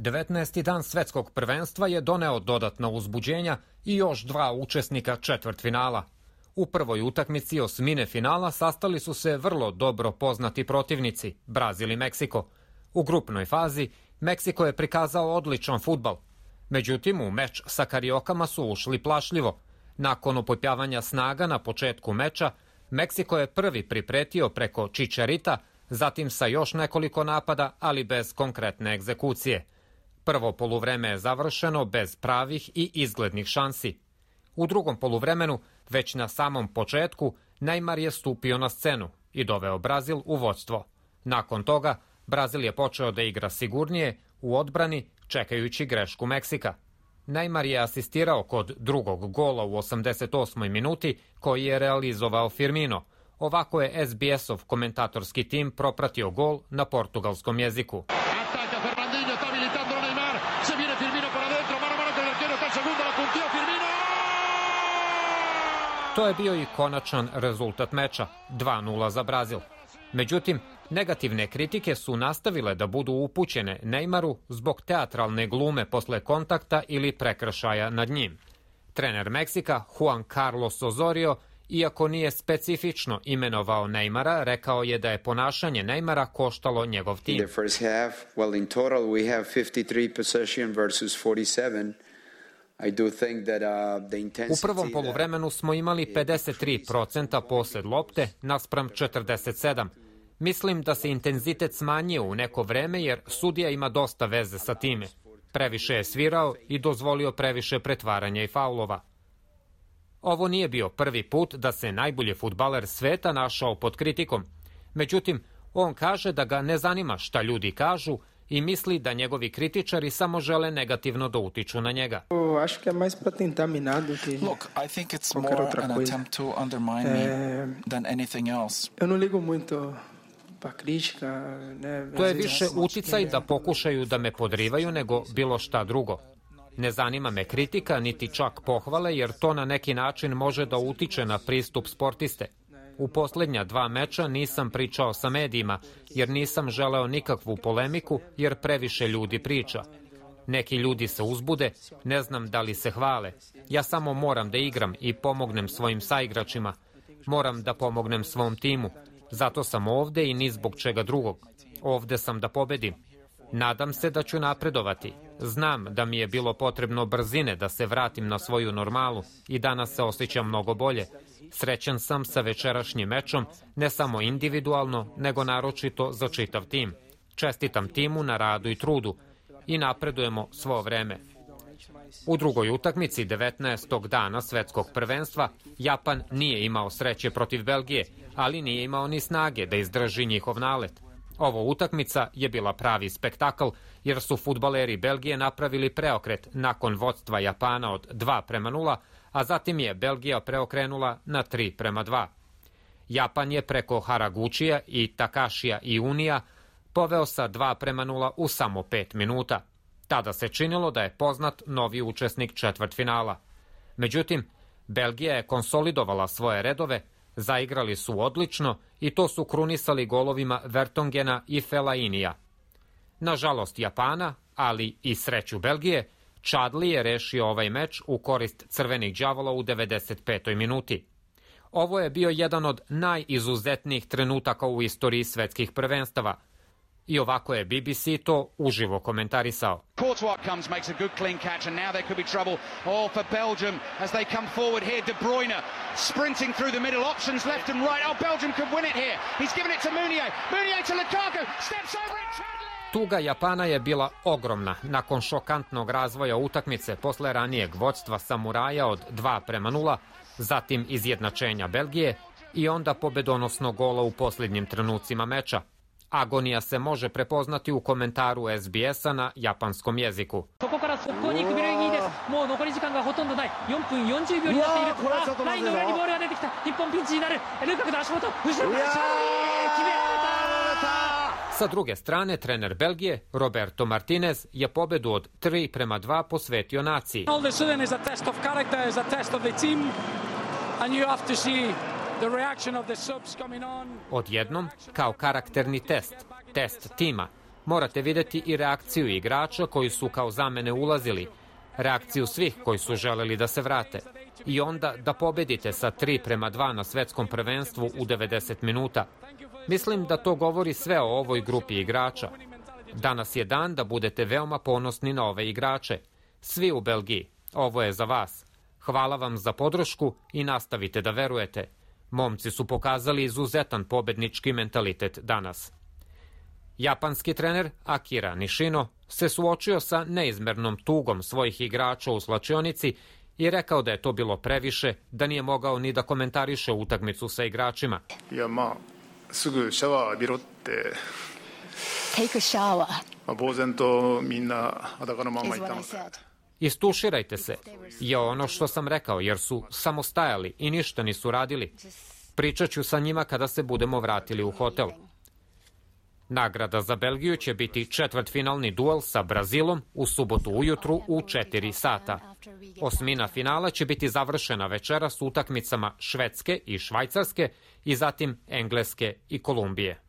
19. dan svetskog prvenstva je doneo dodatna uzbuđenja i još dva učesnika četvrtfinala. U prvoj utakmici osmine finala sastali su se vrlo dobro poznati protivnici, Brazil i Meksiko. U grupnoj fazi Meksiko je prikazao odličan fudbal. Međutim, u meč sa Kariokama su ušli plašljivo. Nakon upopjavanja snaga na početku meča, Meksiko je prvi pripretio preko Čičarita, zatim sa još nekoliko napada, ali bez konkretne egzekucije. Prvo poluvreme je završeno bez pravih i izglednih šansi. U drugom poluvremenu, već na samom početku, Neymar je stupio na scenu i doveo Brazil u vođstvo. Nakon toga, Brazil je počeo da igra sigurnije u odbrani, čekajući grešku Meksika. Neymar je asistirao kod drugog gola u 88. minuti, koji je realizovao Firmino. Ovako je SBS-ov komentatorski tim propratio gol na portugalskom jeziku. To je bio i konačan rezultat meča, 2:0 za Brazil. Međutim, negativne kritike su nastavile da budu upućene Neymaru zbog teatralne glume posle kontakta ili prekršaja nad njim. Trener Meksika, Juan Carlos Osorio, iako nije specifično imenovao Neymara, rekao je da je ponašanje Neymara koštalo njegov tim. U prvom poluvremenu smo imali 53% posed lopte naspram 47%. Mislim da se intenzitet smanjio u neko vreme jer sudija ima dosta veze sa time. Previše je svirao i dozvolio previše pretvaranja i faulova. Ovo nije bio prvi put da se najbolji fudbaler sveta našao pod kritikom. Međutim, on kaže da ga ne zanima šta ljudi kažu i misli da njegovi kritičari samo žele negativno da utiču na njega. Look, I think it's more an attempt to undermine me than anything else. To je više uticaj da pokušaju da me podrivaju nego bilo šta drugo. Ne zanima me kritika, niti čak pohvale, jer to na neki način može da utiče na pristup sportiste. U posljednja 2 meča nisam pričao sa medijima, jer nisam želeo nikakvu polemiku, jer previše ljudi priča. Neki ljudi se uzbude, ne znam da li se hvale. Ja samo moram da igram i pomognem svojim saigračima. Moram da pomognem svom timu. Zato sam ovde i ni zbog čega drugog. Ovde sam da pobedim. Nadam se da ću napredovati. Znam da mi je bilo potrebno brzine da se vratim na svoju normalu i danas se osjećam mnogo bolje. Srećan sam sa večerašnjim mečom, ne samo individualno, nego naročito za čitav tim. Čestitam timu na radu i trudu i napredujemo svo vreme. U drugoj utakmici 19. dana svetskog prvenstva Japan nije imao sreće protiv Belgije, ali nije imao ni snage da izdrži njihov nalet. Ovo utakmica je bila pravi spektakl jer su fudbaleri Belgije napravili preokret nakon vodstva Japana od 2:0, a zatim je Belgija preokrenula na 3:2. Japan je preko Haragučija i Takashija i Unija poveo sa 2:0 u samo 5 minuta. Tada se činilo da je poznat novi učesnik četvrtfinala. Međutim, Belgija je konsolidovala svoje redove, zaigrali su odlično i to su krunisali golovima Vertongena i Fellainija. Nažalost Japana, ali i sreću Belgije, Chadli je rešio ovaj meč u korist crvenih đavola u 95. minuti. Ovo je bio jedan od najizuzetnijih trenutaka u istoriji svetskih prvenstava. I ovako je BBC to uživo komentarisao. Courtois comes, makes a good clean catch, and now there could be trouble for Belgium as they come forward here. De Bruyne sprinting through the middle, options left and right. Oh, Belgium could win it here. He's given it to Meunier. Meunier to Lukaku, steps over it. Tuga Japana je bila ogromna nakon šokantnog razvoja utakmice posle ranijeg vodstva samuraja od 2:0, zatim izjednačenja Belgije i onda pobedonosnog gola u posljednjim trenucima meča. Agonija se može prepoznati u komentaru SBS-a na japanskom jeziku. Sa druge strane, trener Belgije, Roberto Martinez, je pobedu od 3:2 posvetio naciji. Odjednom, kao karakterni test tima, Morate videti i reakciju igrača koji su kao zamene ulazili, reakciju svih koji su želeli da se vrate i onda da pobedite sa 3:2 na svetskom prvenstvu u 90 minuta. Mislim da to govori sve o ovoj grupi igrača. Danas je dan da budete veoma ponosni na ove igrače. Svi u Belgiji, ovo je za vas. Hvala vam za podršku i nastavite da verujete. Momci su pokazali izuzetan pobednički mentalitet danas. Japanski trener Akira Nishino se suočio sa neizmernom tugom svojih igrača u slačionici i rekao da je to bilo previše, da nije mogao ni da komentariše utakmicu sa igračima. Istuširajte se, je ono što sam rekao, jer su samo stajali i ništa nisu radili. Pričat ću sa njima kada se budemo vratili u hotel. Nagrada za Belgiju će biti četvrtfinalni duel sa Brazilom u subotu ujutru u 4 sata. Osmina finala će biti završena večeras utakmicama Švedske i Švajcarske i zatim Engleske i Kolumbije.